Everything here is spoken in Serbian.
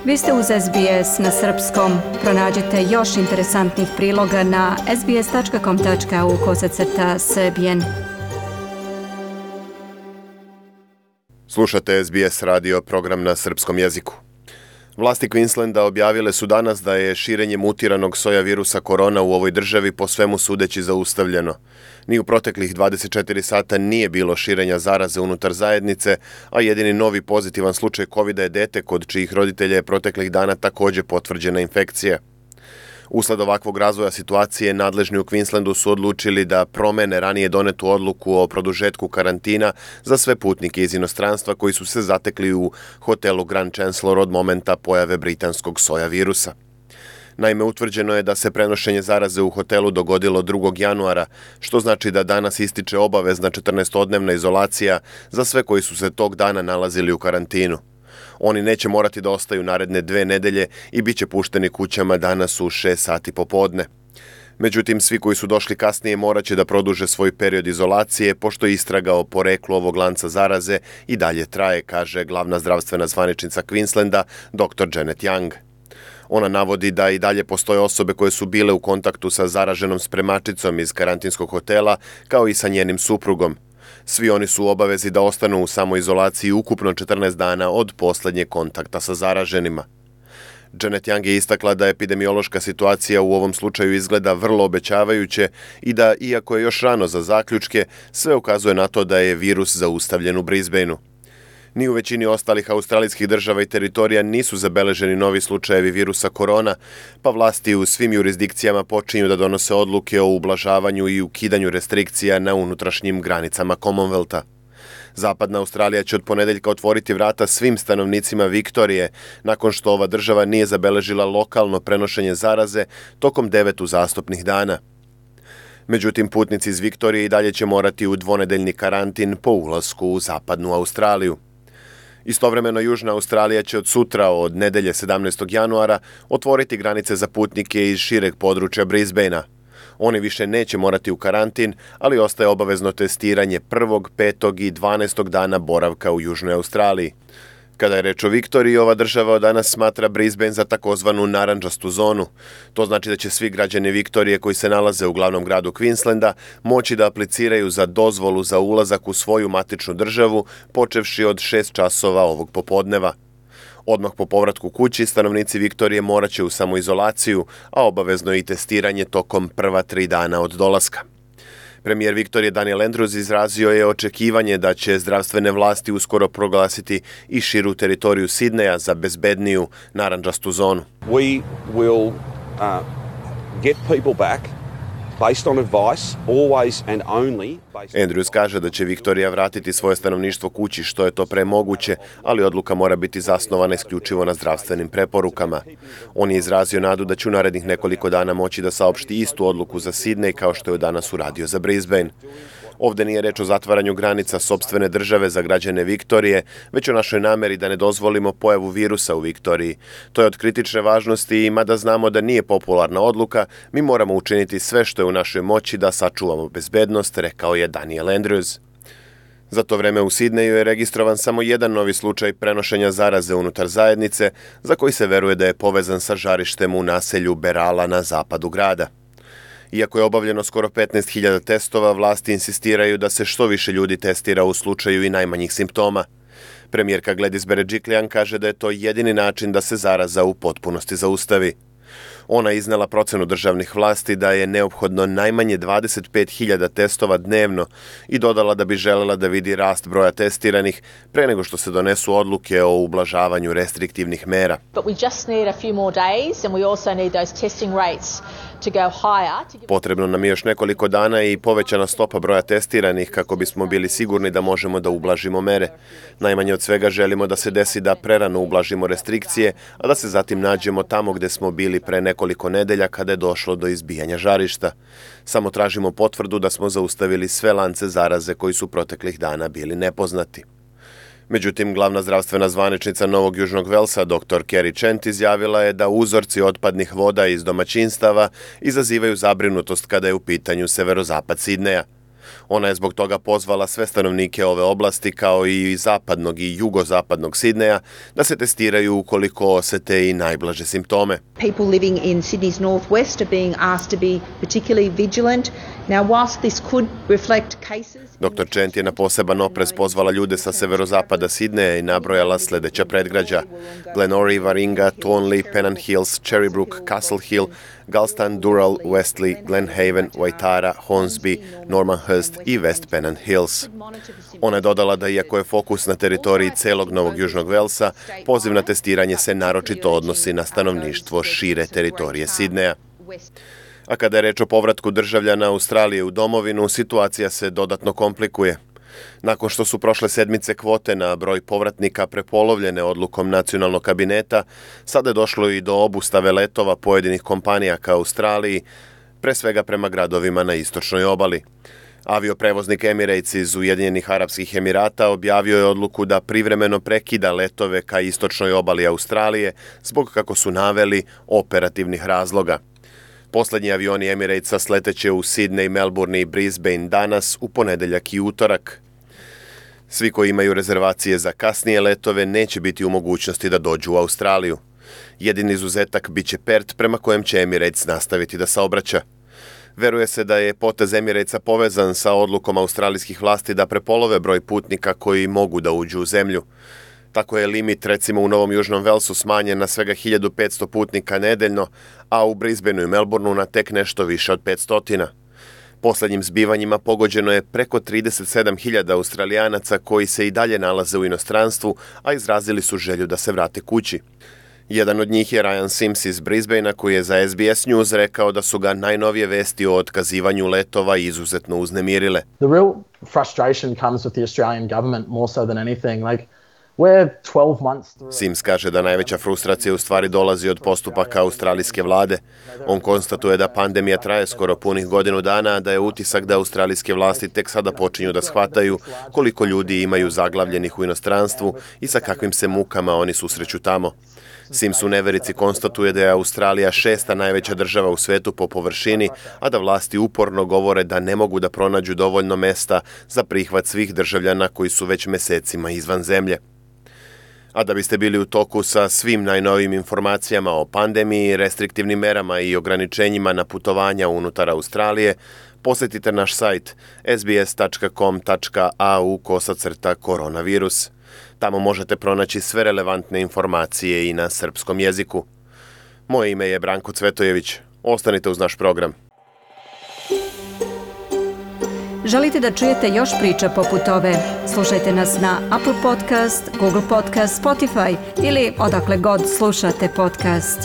Vi ste uz SBS na srpskom. Pronađite još interesantnih priloga na sbs.com.au/srbijen. Slušate SBS radio program na srpskom jeziku. Vlasti Queenslanda objavile su danas da je širenje mutiranog soja virusa korona u ovoj državi po svemu sudeći zaustavljeno. Ni u proteklih 24 sata nije bilo širenja zaraze unutar zajednice, a jedini novi pozitivan slučaj COVID-a je dete kod čijih roditelja je proteklih dana također potvrđena infekcija. Usled ovakvog razvoja situacije, nadležni u Queenslandu su odlučili da promene ranije donetu odluku o produžetku karantina za sve putnike iz inostranstva koji su se zatekli u hotelu Grand Chancellor od momenta pojave britanskog soja virusa. Naime, utvrđeno je da se prenošenje zaraze u hotelu dogodilo 2. januara, što znači da danas ističe obavezna 14-dnevna izolacija za sve koji su se tog dana nalazili u karantinu. Oni neće morati da ostaju naredne 2 nedelje i bit će pušteni kućama danas u 6 sati popodne. Međutim, svi koji su došli kasnije morat će da produže svoj period izolacije, pošto istraga o poreklu ovog lanca zaraze i dalje traje, kaže glavna zdravstvena zvaničnica Queenslanda, dr. Janet Young. Ona navodi da i dalje postoje osobe koje su bile u kontaktu sa zaraženom spremačicom iz karantinskog hotela, kao i sa njenim suprugom. Svi oni su u obavezi da ostanu u samoizolaciji ukupno 14 dana od posljednjeg kontakta sa zaraženima. Janet Young je istakla da epidemiološka situacija u ovom slučaju izgleda vrlo obećavajuće i da, iako je još rano za zaključke, sve ukazuje na to da je virus zaustavljen u Brisbaneu. Ni u većini ostalih australijskih država i teritorija nisu zabeleženi novi slučajevi virusa korona, pa vlasti u svim jurisdikcijama počinju da donose odluke o ublažavanju i ukidanju restrikcija na unutrašnjim granicama Commonwealtha. Zapadna Australija će od ponedeljka otvoriti vrata svim stanovnicima Viktorije, nakon što ova država nije zabeležila lokalno prenošenje zaraze tokom 9 uzastopnih dana. Međutim, putnici iz Viktorije i dalje će morati u dvonedeljni karantin po ulasku u Zapadnu Australiju. Istovremeno, Južna Australija će od sutra, od nedelje 17. januara, otvoriti granice za putnike iz šireg područja Brisbanea. Oni više neće morati u karantin, ali ostaje obavezno testiranje 1., 5. i 12. dana boravka u Južnoj Australiji. Kada je reč o Viktoriji, ova država od danas smatra Brisbane za takozvanu narandžastu zonu. To znači da će svi građani Viktorije koji se nalaze u glavnom gradu Queenslanda moći da apliciraju za dozvolu za ulazak u svoju matičnu državu, počevši od 6 časova ovog popodneva. Odmah po povratku kući, stanovnici Viktorije morat će u samoizolaciju, a obavezno je i testiranje tokom prva 3 dana od dolaska. Premijer Viktorije Daniel Andrews izrazio je očekivanje da će zdravstvene vlasti uskoro proglasiti i širu teritoriju Sidneja za bezbedniju narandžastu zonu. We will get people back based on advice, always and only. Andrews kaže da će Viktorija vratiti svoje stanovništvo kući što je to pre moguće, ali odluka mora biti zasnovana isključivo na zdravstvenim preporukama. On je izrazio nadu da će u narednih nekoliko dana moći da saopšti istu odluku za Sydney kao što je danas uradio za Brisbane. Ovde nije reč o zatvaranju granica sopstvene države za građane Viktorije, već o našoj nameri da ne dozvolimo pojavu virusa u Viktoriji. To je od kritične važnosti i mada znamo da nije popularna odluka, mi moramo učiniti sve što je u našoj moći da sačuvamo bezbednost, rekao je Daniel Andrews. Za to vreme u Sidneju je registrovan samo jedan novi slučaj prenošenja zaraze unutar zajednice, za koji se veruje da je povezan sa žarištem u naselju Berala na zapadu grada. Iako je obavljeno skoro 15.000 testova, vlasti insistiraju da se što više ljudi testira u slučaju i najmanjih simptoma. Premijerka Gladys Berejiklian kaže da je to jedini način da se zaraza u potpunosti zaustavi. Ona je iznela procenu državnih vlasti da je neophodno najmanje 25.000 testova dnevno i dodala da bi želela da vidi rast broja testiranih pre nego što se donesu odluke o ublažavanju restriktivnih mera. Potrebno nam je još nekoliko dana i povećana stopa broja testiranih kako bismo bili sigurni da možemo da ublažimo mere. Najmanje od svega želimo da se desi da prerano ublažimo restrikcije, a da se zatim nađemo tamo gde smo bili pre nekoliko nedelja kada je došlo do izbijanja žarišta. Samo tražimo potvrdu da smo zaustavili sve lance zaraze koji su proteklih dana bili nepoznati. Međutim, glavna zdravstvena zvaničnica Novog Južnog Velsa, dr. Kerry Chant, izjavila je da uzorci otpadnih voda iz domaćinstava izazivaju zabrinutost kada je u pitanju severozapad Sidneja. Ona je zbog toga pozvala sve stanovnike ove oblasti kao i zapadnog i jugozapadnog Sidneja da se testiraju ukoliko osete i najblaže simptome. People living in Sydney's northwest are being asked to be particularly vigilant. Now, whilst this could reflect cases... Dr. Chant je na poseban oprez pozvala ljude sa severozapada Sidneja i nabrojala sledeća predgrađa: Glenorrhy, Warringah, Thornley, Pennant Hills, Cherrybrook, Castle Hill, Galston, Dural, Westley, Glenhaven, Waitara, Hornsby, Normanhurst i West Pennant Hills. Ona je dodala da iako je fokus na teritoriji celog Novog Južnog Velsa, poziv na testiranje se naročito odnosi na stanovništvo šire teritorije Sidneja. A kada je reč o povratku državljana Australije u domovinu, situacija se dodatno komplikuje. Nakon što su prošle sedmice kvote na broj povratnika prepolovljene odlukom nacionalnog kabineta, sada je došlo i do obustave letova pojedinih kompanija ka Australiji, pre svega prema gradovima na istočnoj obali. Avioprevoznik Emirates iz Ujedinjenih Arapskih Emirata objavio je odluku da privremeno prekida letove ka istočnoj obali Australije zbog, kako su naveli, operativnih razloga. Poslednji avioni Emiratesa sleteće u Sydney, Melbourne i Brisbane danas, u ponedeljak i utorak. Svi koji imaju rezervacije za kasnije letove neće biti u mogućnosti da dođu u Australiju. Jedini izuzetak biće Perth, prema kojem će Emirates nastaviti da saobraća. Veruje se da je potez Emiratesa povezan sa odlukom australijskih vlasti da prepolove broj putnika koji mogu da uđu u zemlju. Tako je limit recimo u Novom Južnom Velsu smanjen na svega 1500 putnika nedeljno, a u Brisbaneu i Melbourneu na tek nešto više od 500. Poslednjim zbivanjima pogođeno je preko 37.000 Australijanaca koji se i dalje nalaze u inostranstvu, a izrazili su želju da se vrate kući. Jedan od njih je Ryan Sims iz Brisbanea, koji je za SBS News rekao da su ga najnovije vesti o otkazivanju letova izuzetno uznemirile. The real frustration comes with the Australian government more so than anything. Sims kaže da najveća frustracija u stvari dolazi od postupaka australijske vlade. On konstatuje da pandemija traje skoro punih godinu dana, a da je utisak da australijske vlasti tek sada počinju da shvataju koliko ljudi imaju zaglavljenih u inostranstvu i sa kakvim se mukama oni susreću tamo. Sims u neverici konstatuje da je Australija 6. najveća država u svetu po površini, a da vlasti uporno govore da ne mogu da pronađu dovoljno mesta za prihvat svih državljana koji su već mesecima izvan zemlje. A da biste bili u toku sa svim najnovijim informacijama o pandemiji, restriktivnim merama i ograničenjima na putovanja unutar Australije, posetite naš sajt sbs.com.au/koronavirus. Tamo možete pronaći sve relevantne informacije i na srpskom jeziku. Moje ime je Branko Cvetojević. Ostanite uz naš program. Želite da čujete još priča poput ove? Slušajte nas na Apple Podcast, Google Podcast, Spotify ili odakle god slušate podcast.